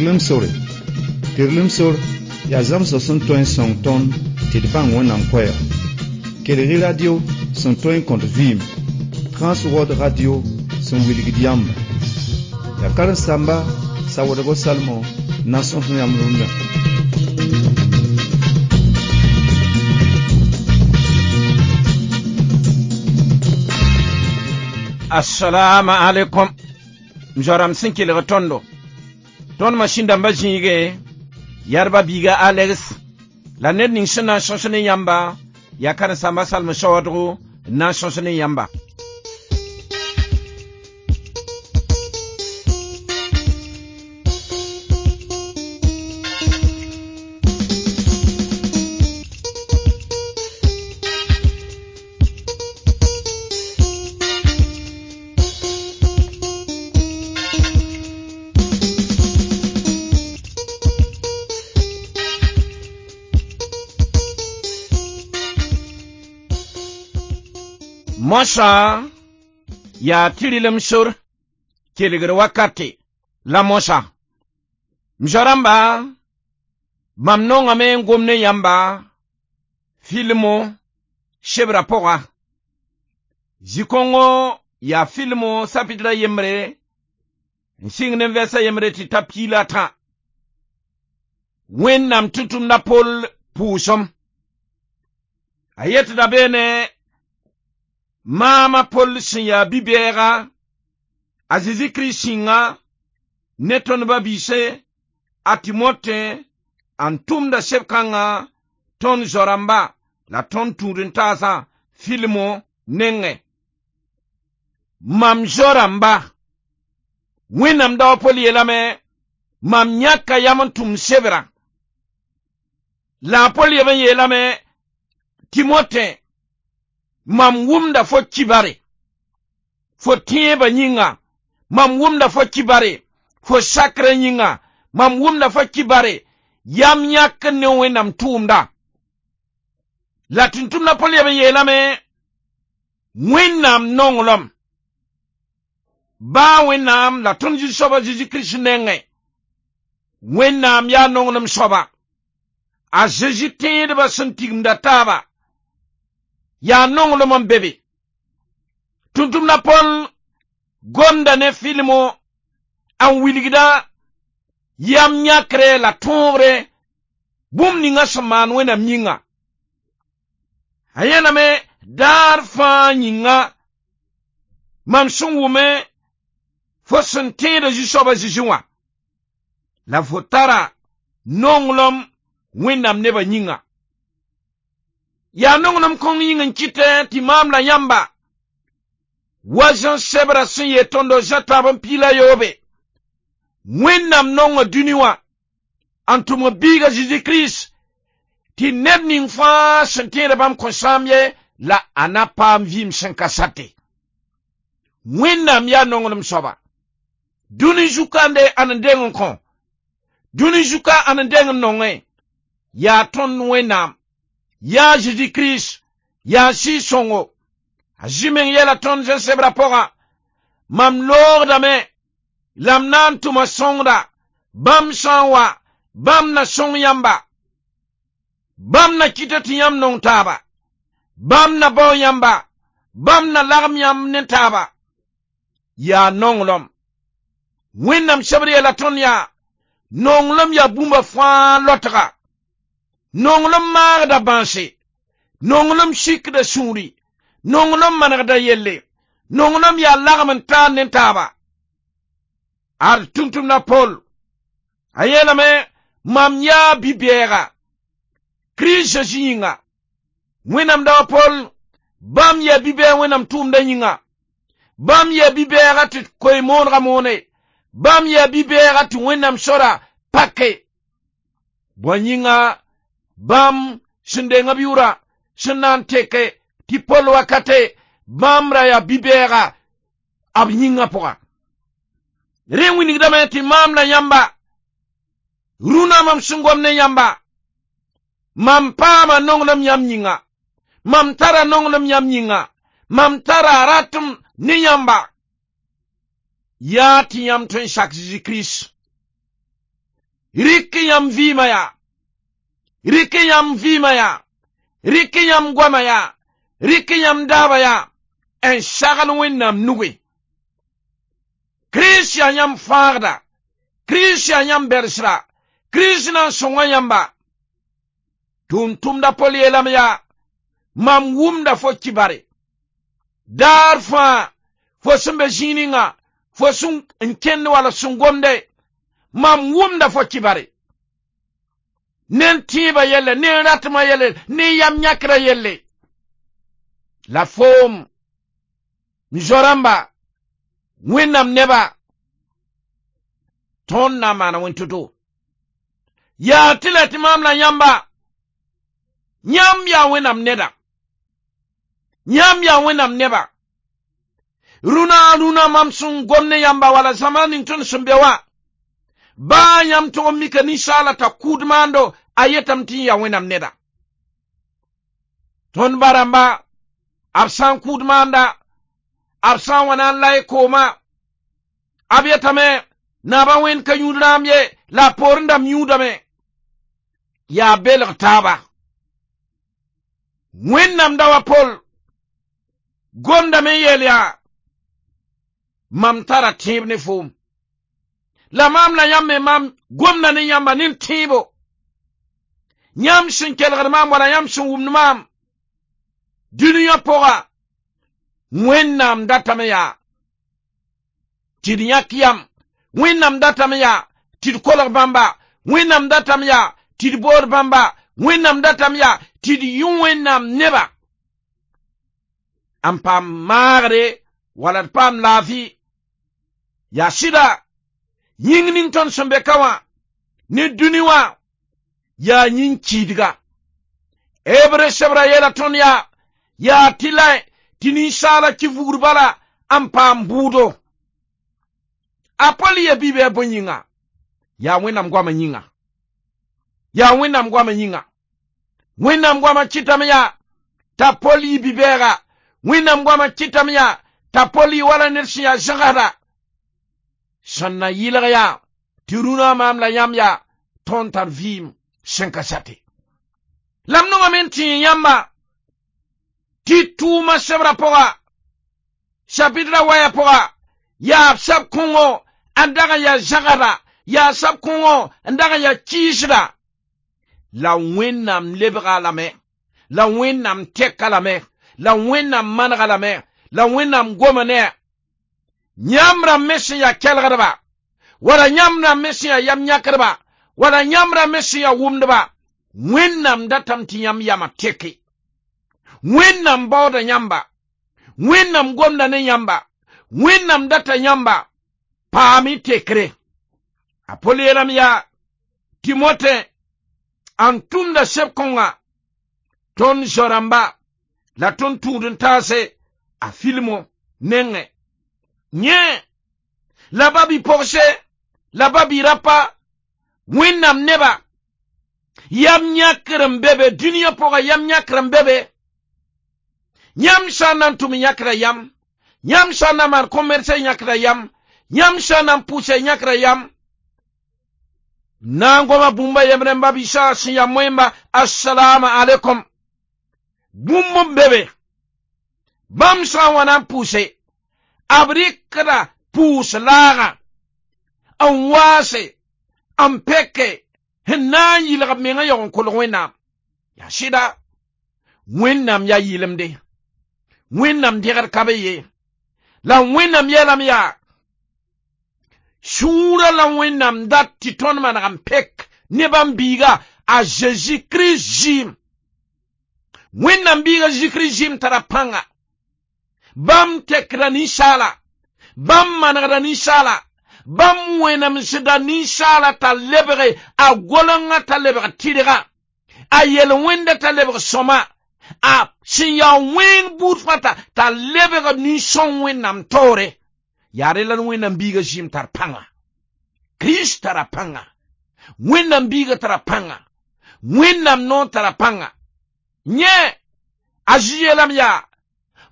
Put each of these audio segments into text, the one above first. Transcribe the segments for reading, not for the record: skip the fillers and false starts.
Tɩrlem sore. Tɩrlem sor yaa zãmsg sẽn tõe n sõng tõnd tɩ d bãng Wẽnnaam koɛɛg. Kelg-y radio sẽn tõe n kõt vɩɩm, Transworld Radio sẽn wilgd yãmba. Yaa karen-saamba Sawoodgo Salmo n na n sõs yãmb rũndã. Assalamu alaikum. M zoa-rãmb sẽn kelg tõndo. Tõnd masĩn dãmbã zĩige yadba biiga Alex la ned ning sẽn na n sõs ne yãmba yaa karen-saamba Salm saoodgo n na n sõs ne yãmba. Moasã yaa tɩrlem sor kelgr wakate la moasã. M zoa-rãmba, mam nongame n gom ne yãmba filmo sebrã pʋga. Zĩ-kõngo yaa filmo sapitra yembre n sɩng ne vɛrsa yembre tɩ ta piig la tã. Wẽnnaam tʋm-tʋmda Pol pʋʋsem. A yetda beene maam a Pol sẽn yaa bi-bɛɛga a Zezi Kirist sĩnga ne tõnd ba-biise a Timote n tʋmda seb-kãngã tõnd zoa-rãmba la tõnd tũud-n-taasã filmo nengẽ. Mam zoa-rãmba, Wẽnnaam dao a Pol yeelame mam yãka yam n tʋm sebrã. La a Pol yeb n yeelame Timote mam wʋmda fo kibare, fo tẽebã yĩnga, mam wʋmda fo kibare, fo sakrã yĩnga, mam wʋmda fo kibare, yam yãk ne Wẽnnaam tʋʋmda. La tʋm-tʋmdã Pol yeb n yeelame Wẽnnaam nonglem, baa Wẽnnaam la tõnd Zu-soaba Zezi Kirist nengẽ. Wẽnnaam yaa nonglem soaba. A Zezi tẽedbã sẽn tigimda taaba yaa nonglem n be be. Tʋm-tʋmdã Pol gomda ne filmo n wilgda yam yãkre la tõogre bũmb ninga sẽn maan Wẽnnaam yĩnga. A yẽlame daar fãa yĩnga mam sẽn wʋme fo sẽn tẽeda Zu-soaba Zezi wã la fo tara nonglem Wẽnnaam nebã yĩnga. Yaa nonglem kõng yĩng n kɩtɛ tɩ maam la yãmba wa zã sebrã sẽn yeel tõndo zã tãab n piig la yoobe. Wẽnnaam nonga dũni wã n tʋmg biiga Zezi Kirist tɩ ned ning fãa sẽn tẽeda bãmb kõn sãam ye la a na paam vɩɩm sẽn ka sate. Wẽnnaam yaa nonglem soaba. Dũni zu-kande ãn n deng n kõ, dũni zuka ãn n deng n nongẽ, yaa tõnd Wẽnnaam, yaa Zezi Kirist, yaa Sɩɩg-sõngo. A Zĩ meng yɛla tõnd zẽ sebrã pʋga, mam loogdame la m na n tʋma sõngda, bãmb sã n wa, bãmb na sõng yãmba. Bãmb na kɩta tɩ yãmb nong taaba, bãmb na bao yãmba, bãmb na lagem yãmb ne taaba. Yaa nonglem. Wẽnnaam sebr yeela tõnd yaa, nonglem yaa bũmba fãa lotga. Nonglem maagda bãnse, nonglem sikda sũuri, nonglem manegda yelle, nonglem yaa lagem n taar ne taaba. Ad tʋm-tʋmda Pol, a yeelame mam yaa bi-bɛɛga, Kirist Zezi yĩnga. Wẽnnaam dao a Pol, bãmb yaa bi-bɛɛg Wẽnnaam tʋʋmdã yĩnga. Bãmb yaa bi-bɛɛga tɩ koe-moonega moone. Bãmb yaa bi-bɛɛga tɩ Wẽnnaam sora pake. Bõe yĩnga bãmb sẽn deng b yʋʋra sẽn na n teke tɩ Pol wakate bãmb ra yaa bi-bɛɛga b yĩngã pʋga. Rẽ wilgdame tɩ maam la yãmba rũnã mam sẽn gom ne yãmba, mam paama nonglem yãmb yĩnga, mam tara nonglem yãmb yĩnga, mam tara ratem ne yãmba. Yaa tɩ yãmb tõe n sak Zezi Kirist. Rɩk yãmb vɩɩmã yaa, rɩk yãmb vɩɩmã yaa, rɩk yãmb goamã yaa, rɩk yãmb daabã yaa, n sagl Wẽnnaam nuge. Kirist yaa yãmb fãagda, Kirist yaa yãmb bɛlsra, Kirist na n sõnga yãmba. Tʋʋm-tʋmda Pol yeelame yaa, mam wʋmda fo kibare. Daar fãa, fo sẽn be zĩig ninga, fo sẽn n kẽnd wala sẽn gomde, mam wʋmda fo kibare. Ne n tẽebã yelle, ne n ratmã yelle, ne n yam yãkrã yelle. La foom, m zo-rãmba, Wẽnnaam neba, tõnd na n maana wẽn to-to. Yaa tɩ la tɩ maam la yãmba, yãmb yaa Wẽnnaam neda. Yãmb yaa Wẽnnaam neba. Rũnã rũnã mam sẽn gom ne yãmba wala zãma ning tõnd sẽn be wã, baa yãmb tʋg n mika ninsaala t'a kʋʋd maando, a yetame tɩ yaa Wẽnnaam neda. Tõnd ba-rãmba, b sã n kʋʋd maanda, b sã n wa na n lay kooma, b yetame naabã wẽnd ka yũud rãam ye, la a poorẽ dãmb yũudame. Yaa belg taaba. Wẽnnaam da wa Pol gomdame n yeel yaa, mam tara tẽeb ne foom. La maam la yãmb me mam gomda ne yãmba ne tẽebo. Yãmb sẽn kelgd maam wala yãmb sẽn wʋmd maam dũniyã pʋga, Wẽnnaam datame yaa tɩ d yãk yam, Wẽnnaam datame yaa tɩ d kolg bãmba, Wẽnnaam datame yaa tɩ d bood bãmba, Wẽnnaam datame yaa tɩ d yũ Wẽnnaam neba. N paam maagre wala d paam laafɩ. Yaa sɩda, yĩng ning tõnd sẽn be ka wã ne dũni wã yaa yĩn-kiidga. Hebre sebra yeela tõnd yaa, yaa tɩ la tɩ ninsaala kɩ vugr bala n paam bʋʋdo. A Pol ye bi-bɩ bõe yĩnga? Yaa Wẽnnaam goamã yĩnga. Yaa Wẽnnaam goamã yĩnga. Wẽnnaam goamã kɩtame yaa t'a Pol yɩ bi-bɛɛga. Wẽnnaam goamã kɩtame yaa t'a Pol yɩ wala ned sẽn yaa zãgsda. Sẽn na yɩlg yaa tɩ rũnã maam la yãmb yaa tõnd tar vɩɩm sẽn ka sate. La m nongame n tẽe yãmba tɩ tʋʋma sebra pʋga, chapitre waya pʋga, yaa b sab kõngo n dag n yaa zãgsda, yaa sab kõngo n dag n yaa kɩɩsda. La Wẽnnaam lebga lame, la Wẽnnaam tɛka lame, la Wẽnnaam manega lame, la Wẽnnaam goma ne a. Yãmb rãmb me sẽn yaa kelgdba, wala yãmb rãmb me sẽn yaa yam yãkdba, wala yãmb rãmb me sẽn yaa wʋmdba, Wẽnnaam datame tɩ yãmb yamã teke. Wẽnnaam baooda yãmba, Wẽnnaam gomda ne yãmba, Wẽnnaam data yãmba, paam-y tekre. A Pol yeelame yaa, Timote, n tʋmda seb-kõnga, tõnd zo-rãmba la tõnd tũud n taase a filmo nengẽ. Yẽ la ba-bi-pogse, la ba-bi-rapa, Wẽnnaam neba, yam yãkr n be be, dũniyã pʋga yam yãkr n be be. Yãmb sã n na n tʋm yãkra yam, yãmb sã n na maan commerce yãkra yam, yãmb sã n na n pʋʋsa yãkra yam. Na n goma bũmba yembre n ba bisa sẽn yaa moẽmba, assalamu alaikum. Bũmb n be be. Bãmb sã n wa na n pʋʋse, b rɩkda pʋʋs laagã n waase, n peke, n na n yɩlg b mengã yaoog n kolg Wẽnnaam. Yaa sɩda, Wẽnnaam yaa yɩlemde. Wẽnnaam dẽgd ka be ye. La Wẽnnaam yeelame yaa, sũurã la Wẽnnaam dat tɩ tõnd maneg n pek ne bãmb biiga a Zeezi Kirist zɩɩm. Wẽnnaam biiga Zeezi Kirist zɩɩm tara pãnga. Bãmb tekda ninsaala, bãmb manegda ninsaala, bãmb wẽnemsda ninsaala t'a lebge a golengã t'a lebg tɩrga, a yel-wẽnda t'a lebg sõma, a sẽn yaa wẽng buud fãa t'a lebg nin-sõng Wẽnnaam taoore. Yaa rẽ la Wẽnnaam biiga zɩɩm tar pãnga. Kirist tara pãnga. Wẽnnaam biiga tara pãnga. Wẽnnaam noor tara pãnga. Yẽ, a Zezi yeelame yaa,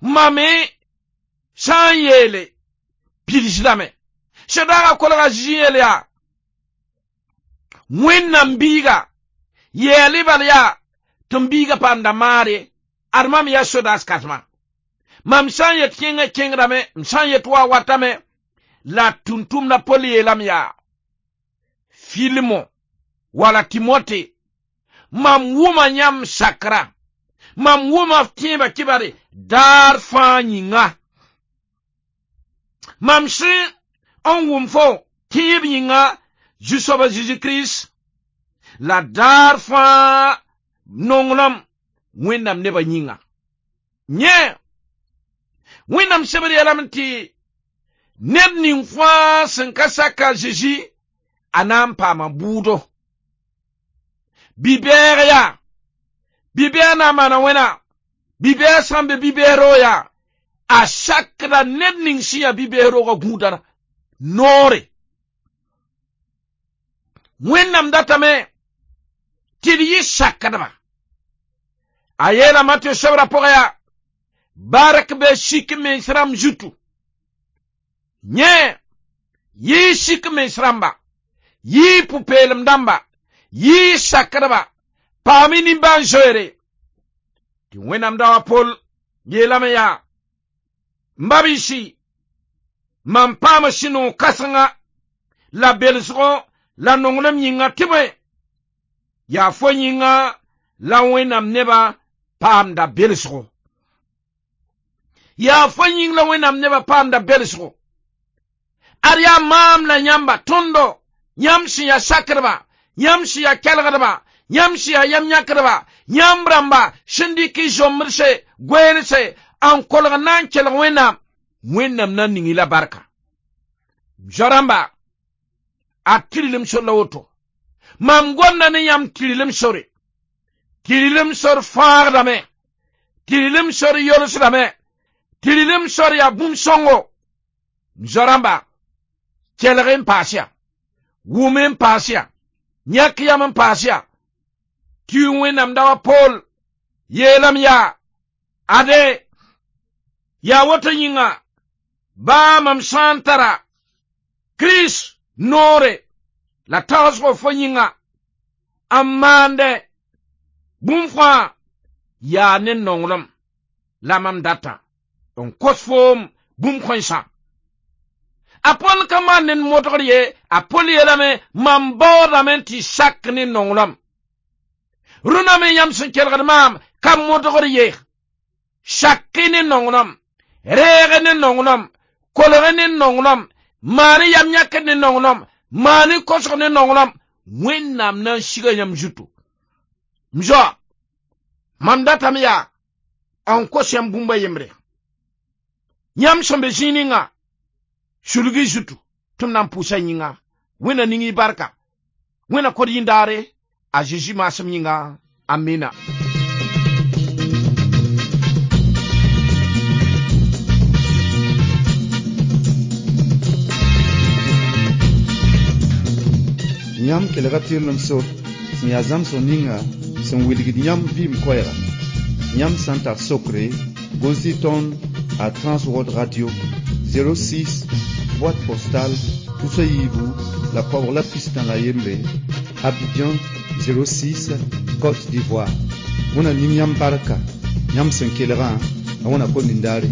mam me sã n yeele pidsdame. Sẽn daagã kolga Zezi yeel yaa, Wẽnnaam biiga yɛɛl bal yaa tɩ m biiga paamda maare ad mam yaa sodaas kãsema mam sã n yet kẽngã kẽngdame m sã n yet wa watame la tʋm-tʋmda Pol yeelame yaa Filimo wala Timote mam wʋma yãmb sakra mam wʋma f tẽebã kibare daar fãa yĩnga mam sẽn n wʋm fo tẽeb yĩnga Zu-soaba Zeezi Kirist la daar fãa nonglem Wẽnnaam nebã yĩnga yẽ Wẽnnaam sebd yeelame tɩ ned ning fãa sẽn ka sak a Zeezi a na n paama bʋʋdo bi-bɛɛg yaa bi-bɛɛg na n maana wẽna bi-bɛɛg sã n be bi-bɛɛg roog yaa a sakda ned ning sẽn yaa bi-bɛɛg roogã gũudã noore Wẽnnaam datame tɩ d yɩ sakdba a yeela Matɩ sebrã pʋgã yaa bark be sik mens rãmb zutu yẽ yɩ sik mens rãmba yɩ pʋ-peelem dãmba yɩ sakdba paam-y nimbãan-zoeere tɩ Wẽnnaam da wa Pol yeelame yaa m ba-biisi mam paama sũ-noog kãsenga la belsgo la nonglem yĩnga tɩ bõe yaa fo yĩnga la Wẽnnaam nebã paamda belsgo yaa fo yĩng la Wẽnnaam nebã paamda belsgo ad yaa maam la yãmba tõndo yãmb sẽn yaa sakdba yãmb sẽn yaa kelgdba yãmb sẽn yaa yam yãkdba yãmb rãmba sẽn dɩk y zombdse goeelse n kolg na n kelg Wẽnnaam Wẽnnaam na n ning-y la barka zoa-rãmba a tɩrlem sor la woto mam gomda ne yãmb tɩrlem sore tɩrlem sor fãagdame tɩrlem sor yolsdame tɩrlem sor yaa bũmb sõngo zoa-rãmba kelg n paas yaa wʋm n paas yaa yãk yam n paas yaa tɩ Wẽnnaam da wa Pool yeelame yaa ade yaa woto yĩnga baa mam sã n tara Kirist noore la tagsgo fo yĩnga n maande bũmb fãa yaa ne nonglem la mam data n kos foom bũmb kãensã a Pol ka maan ned modgr ye a Pol yeelame mam baoodame tɩ sak ne nonglem rũnã me yãmb sẽn kelgd maam ka modgr ye sak-y ne nonglem reeg ne nonglem kolg ne nonglem maan yam yãkd ne nonglem maan kosg ne nonglem Wẽnnaam na n siga yãmb zutu m zoa mam datame yaa n kos yãmb bũmb a yembre yãmb sẽn be zĩig ninga sulg y zutu tɩ m na n pʋʋsa yĩnga Wẽnna ning y barka Wẽnna kod yĩndaare a Zeezi maasem yĩnga amina. Yãmb kelga tɩrlem sor sẽn yaa zãmsg ninga sẽn wilgd yãmb vɩɩm koɛɛga yãmb sã n tar sokre gʋls-y tõnd a Transworld Radio 06 boîte postale tusa yiibu la koabg la pistã la yembre Abidjan 06 Côte d'Ivoire. Wẽnna ning yãmb barka yãmb sẽn kelgã la Wẽnna kõn nindaare.